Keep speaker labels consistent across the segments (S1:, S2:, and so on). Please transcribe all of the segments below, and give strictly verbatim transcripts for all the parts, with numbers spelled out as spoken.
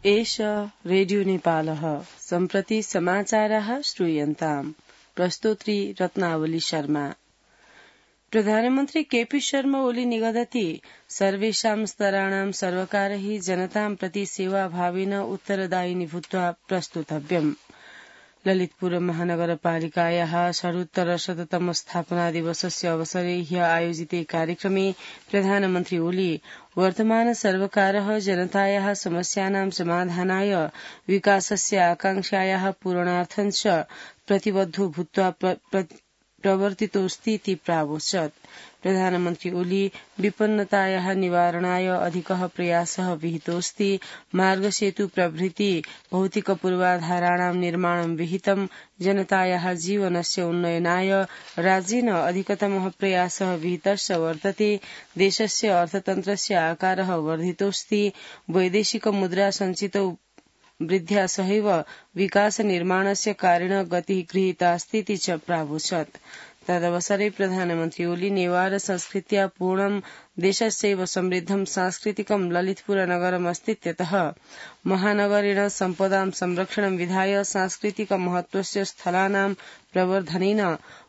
S1: एष रेडियो नेपालः सम्प्रति समाचारः श्रूयन्ताम्। प्रस्तोत्री रत्नावली शर्मा। प्रधानमन्त्री केपी शर्मा ओली निगदति सर्वेषां स्तराणां सर्वकारैः जनतां प्रति सेवाभावेन उत्तरदायिनी भूत्वा प्रस्तुतव्यम्। ललितपुर महानगरपालिकायाः षडुत्तरशततम स्थापना दिवसस्य अवसरे ह्यः आयोजिते कार्यक्रमे प्रधानमन्त्री ओली वर्तमान सर्वकारः जनतायाः समस्यानां समाधानाय विकासस्य आकांक्षायाः पूरणार्थं च प्रतिबद्धो भूत्वा प्रवर्तितोऽस्ति इति प्रावोचत्। प्रधानमन्त्री ओली विपन्नतायाः निवारणाय अधिकः प्रयासः विहितोऽस्ति। मार्गसेतु प्रभृति भौतिक पूर्वाधाराणां निर्माणं विहितम्। जनतायाः जीवनस्य उन्नयनाय राज्येन अधिकतमः प्रयासः विहितश्च वर्तते। देशस्य अर्थतन्त्रस्य आकारः वर्धितोऽस्ति। वैदेशिक मुद्रा सञ्चितौ वृद्ध्या सहैव विकास निर्माणस्य कारेण गतिः गृहीतास्तीति च प्रावोचत्। तदवसरे प्रधानमन्त्री ओली नेवार संस्कृत्या पूर्णं देशस्यैव समृद्धं सांस्कृतिकं ललितपुर नगरमस्तीत्यतः महानगरेण सम्पदां संरक्षणं विधाय सांस्कृतिक महत्वस्य स्थलानां प्रवर्धनेन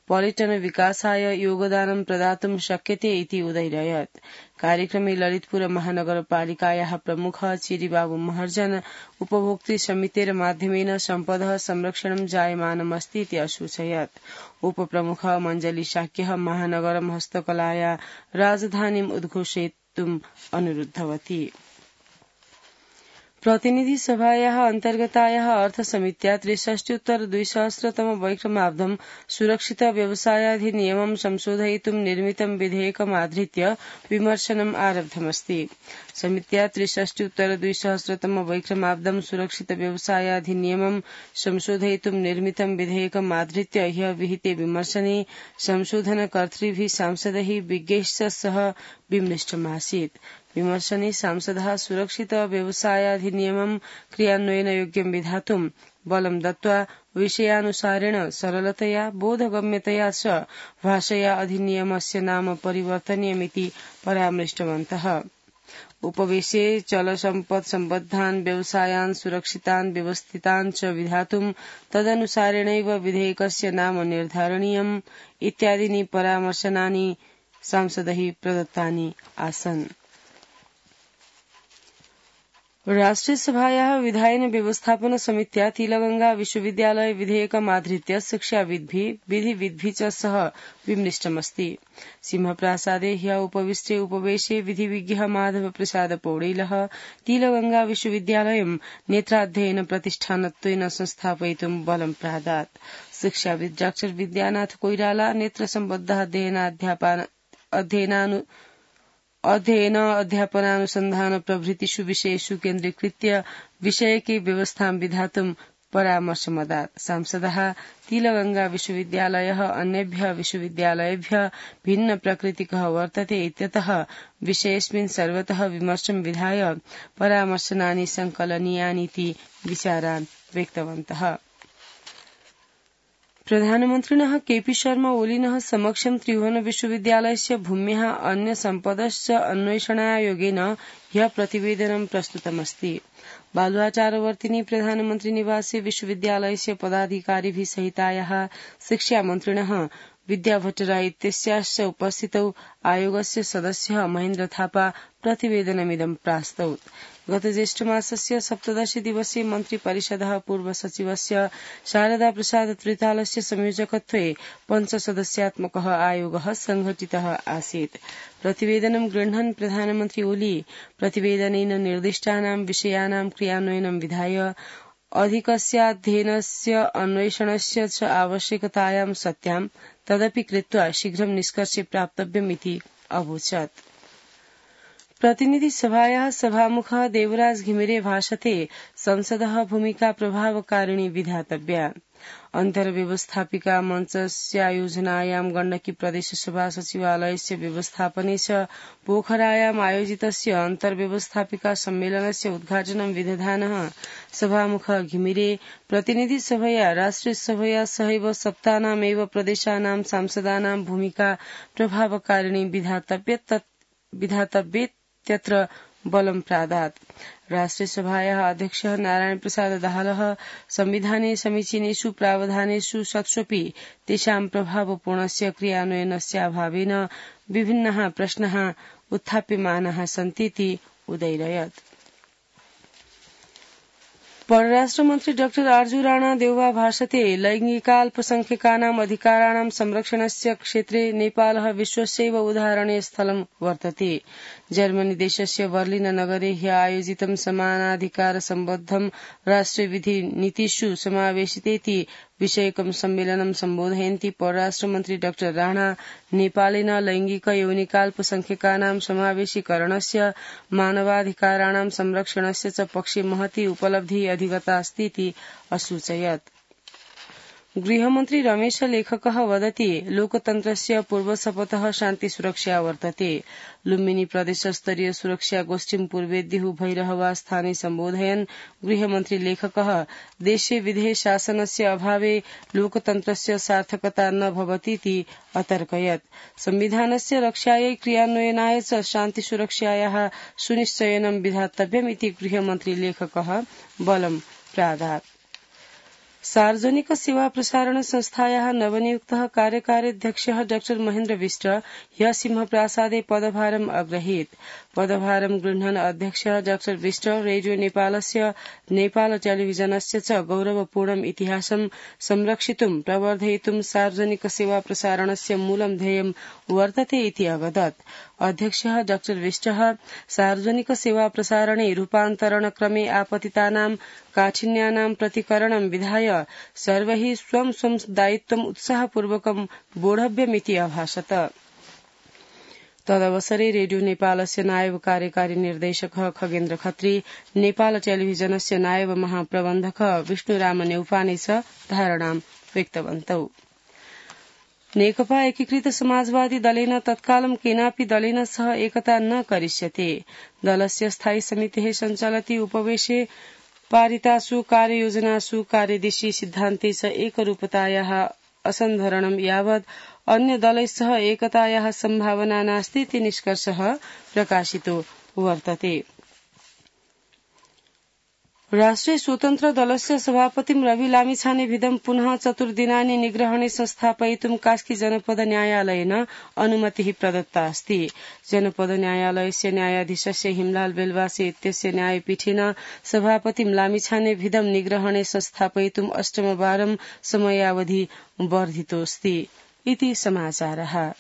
S1: पर्यटन विकासाय योगदानं प्रदातुं शक्यते इति उदैरयत्। कार्यक्रमे ललितपुर महानगरपालिकायाः प्रमुख चिरीबाबु महर्जन उपभोक्तृ समितेर माध्यमेन सम्पदः संरक्षणं जायमानमस्ति इति असूचयत्। उपप्रमुख मञ्जली शाक्यः महानगरं हस्तकलाया राजधानीम् उद्घोषयितुम् अनुरुद्धवती। प्रतिनिधि सभायाः अन्तर्गतायाः अर्थसमित्या त्रिषष्ट्युत्तर द्विसहस्रतम वैक्रमाब्दं सुरक्षित व्यवसायाधिनियमं संशोधयितुं निर्मितं विधेयकमाधृत्य विमर्शनम् आरब्धमस्ति। समित्या त्रिषष्ट्युत्तर द्विसहस्रतम वैक्रमाब्दं सुरक्षित व्यवसायाधिनियमं संशोधयितुं निर्मितं विधेयकमाधृत्य ह्यः विहिते विमर्शने संशोधनकर्तृभिः सांसदैः विज्ञैश्च सह विमृष्टमासीत्। विमर्शने सांसदः सुरक्षित व्यवसायाधिनियमं क्रियान्वयनयोग्यं विधातुं बलं दत्त्वा विषयानुसारेण सरलतया बोधगम्यतया च भाषया अधिनियमस्य नाम परिवर्तनीयमिति परामृष्टवन्तः। उपवेशे चलसम्पत् सम्बद्धान् व्यवसायान् सुरक्षितान् व्यवस्थितान् च विधातुं तदनुसारेणैव विधेयकस्य नाम निर्धारणीयम् इत्यादीनि परामर्शनानि सांसदैः प्रदत्तानि आसन्। राष्ट्रियसभायाः विधायन व्यवस्थापन समित्या तिलगंगा विश्वविद्यालय विधेयकमाधृत्य शिक्षाविद्भिः विधिविद्भिः च सह विमृष्टमस्ति। सिंहप्रासादे ह्यः उपविष्टे उपवेशे विधिविज्ञः माधव प्रसाद पौडेलः तिलगंगा विश्वविद्यालयं नेत्राध्ययन प्रतिष्ठानत्वेन संस्थापयितुं बलं प्रादात्। शिक्षाविद् डाक्टर विद्यानाथ कोइराला नेत्रसम्बद्धः अध्ययनानु अध्ययन अध्यापनानुसन्धान प्रभृतिषु विषयेषु केन्द्रीकृत्य विषयके व्यवस्थां विधातुं परामर्शमदात्। सांसदः तिलगंगा विश्वविद्यालयः अन्येभ्यः विश्वविद्यालयेभ्यः भिन्न प्रकृतिकः वर्तते इत्यतः विषयेऽस्मिन् सर्वतः विमर्शं विधाय परामर्शनानि संकलनीयानीति विचारान् व्यक्तवन्तः। प्रधानमन्त्रिणः केपी शर्मा ओलिनः समक्षं त्रिभुवन विश्वविद्यालयस्य भूम्याः अन्य सम्पदश्च अन्वेषणायोगेन ह्यः प्रतिवेदनं प्रस्तुतमस्ति। बालुवाचारवर्तिनि प्रधानमन्त्री निवासे विश्वविद्यालयस्य पदाधिकारिभिः सहितायाः शिक्षामन्त्रिणः विद्या भट्टराय इत्यस्याश्च उपस्थितौ आयोगस्य सदस्यः महेन्द्र थापा प्रतिवेदनमिदं प्रास्तौत्। गत ज्येष्ठमासस्य सप्तदश दिवसे मन्त्रिपरिषदः पूर्वसचिवस्य शारदा प्रसाद त्रितालस्य संयोजकत्वे पञ्चसदस्यात्मकः आयोगः संघटितः आसीत्। प्रतिवेदनं गृह्णन् प्रधानमन्त्री ओली प्रतिवेदनेन निर्दिष्टानां विषयाणां क्रियान्वयनं विधाय अधिकस्याध्ययनस्य अन्वेषणस्य च आवश्यकतायां सत्यां तदपि कृत्वा शीघ्रं निष्कर्षे प्राप्तव्यमिति अवोचत्। प्रतिनिधि सभायाः सभामुखः देवराज घिमिरे भाषते संसदः भूमिका प्रभावकारिणी विधातव्या। अन्तर्व्यवस्थापिका मञ्चस्यायोजनायां गण्डकी प्रदेशसभा सचिवालयस्य व्यवस्थापने च पोखरायाम् आयोजितस्य अन्तर्व्यवस्थापिका सम्मेलनस्य उद्घाटनं विदधानः सभामुखः घिमिरे प्रतिनिधि सभया राष्ट्रियसभया सहैव सप्तानामेव प्रदेशानां सांसदानां भूमिका प्रभावकारिणी विधातव्येत्यत्र बलं प्रादात् राष्ट्रिय सभायाः अध्यक्षः नारायण प्रसाद दाहालः संविधाने समीचीनेषु प्रावधानेषु सत्स्वपि तेषां प्रभावपूर्णस्य क्रियान्वयनस्याभावेन विभिन्नाः प्रश्नाः उत्थाप्यमानाः सन्तीति उदैरयत्। परराष्ट्र मन्त्री डाक्टर आर्जू राणा देउवा भाषते लैंगिकाल्पसंख्यकानाम् अधिकाराणां संरक्षणस्य क्षेत्रे नेपालः विश्वस्यैव उदाहरणीय स्थलं वर्तते। जर्मनी देशस्य बर्लिन नगरे ह्य आयोजितं समानाधिकार सम्बद्धं राष्ट्रिय विधि नीतिषु समावेशितेति विषयकं सम्मेलनं सम्बोधयन्ती परराष्ट्र मन्त्री डाक्टर राणा नेपालेन लैंगिक यौनिकाल्पसंख्यकानां समावेशीकरणस्य मानवाधिकाराणां संरक्षणस्य च पक्षे महती उपलब्धिः अधिगतास्तीति असूचयत्। गृहमन्त्री रमेश लेखकः वदति लोकतन्त्रस्य पूर्वशपथः शान्तिसुरक्षा वर्तते। लुम्बिनी प्रदेशस्तरीय सुरक्षा गोष्ठीं पूर्वेद्युः भैरहवा स्थाने सम्बोधयन् गृहमन्त्री लेखकः देशे विधेय शासनस्य अभावे लोकतन्त्रस्य सार्थकता न भवतीति अतर्कयत्। संविधानस्य रक्षायै क्रियान्वयनाय च शान्तिसुरक्षायाः सुनिश्चयनं विधातव्यमिति गृहमन्त्री लेखकः बलं प्रादात्। सार्वजनिक सेवा प्रसारण संस्थायाः नवनियुक्तः कार्यकार्याध्यक्षः डाक्टर महेन्द्र विष्ट ह्य सिंहप्रासादे पदभारम् अग्रहीत्। पदभारं गृह्णन् अध्यक्षः डाक्टर विष्ट रेडियो नेपालस्य नेपाल टेलिभिजनस्य च गौरवपूर्णम् इतिहासं संरक्षितुं प्रवर्धयितुं सार्वजनिक सेवा प्रसारणस्य मूलं ध्येयं वर्तते इति अवदत्। अध्यक्षः डाक्टर विष्टः सार्वजनिक सेवा प्रसारणे रूपान्तरणक्रमे आपतितानां काठिन्यानां प्रतिकरणं विधाय सर्वैः स्वं स्वं दायित्वम् उत्साहपूर्वकं बोढव्यमिति अभाषत। तदवसरे रेडियो नेपालस्य नायब कार्यकारी निर्देशकः खगेन्द्र खत्री, नेपाल टेलिभिजनस्य नायब महाप्रबन्धकः विष्णुराम नेउपाने च धारणां व्यक्तवन्तौ। नेकपा एकीकृत समाजवादी दलेन तत्कालं केनापि दलेन सह एकता न करिष्यते। दलस्य स्थायी समितेः सञ्चालति उपवेशे पारितासु कार्ययोजनासु कार्यदिशि सिद्धान्ते च एकरूपतायाः असन्धरणं यावत् अन्य दलैः सह एकतायाः सम्भावना नास्ति इति निष्कर्षः प्रकाशितो वर्तते। राष्ट्रिय स्वतन्त्र दलस्य सभापतिं रवि लामिछानेविधं पुनः चतुर्दिनानि निग्रहणे संस्थापयितुं कास्की जनपद न्यायालयेन अनुमतिः प्रदत्ता अस्ति। जनपद न्यायालयस्य न्यायाधीशस्य हिमलाल बेलवासे इत्यस्य न्यायपीठेन सभापतिं लामिछानेविधं निग्रहणे संस्थापयितुं अष्टमवारं समयावधि वर्धितोऽस्ति इति समाचारः।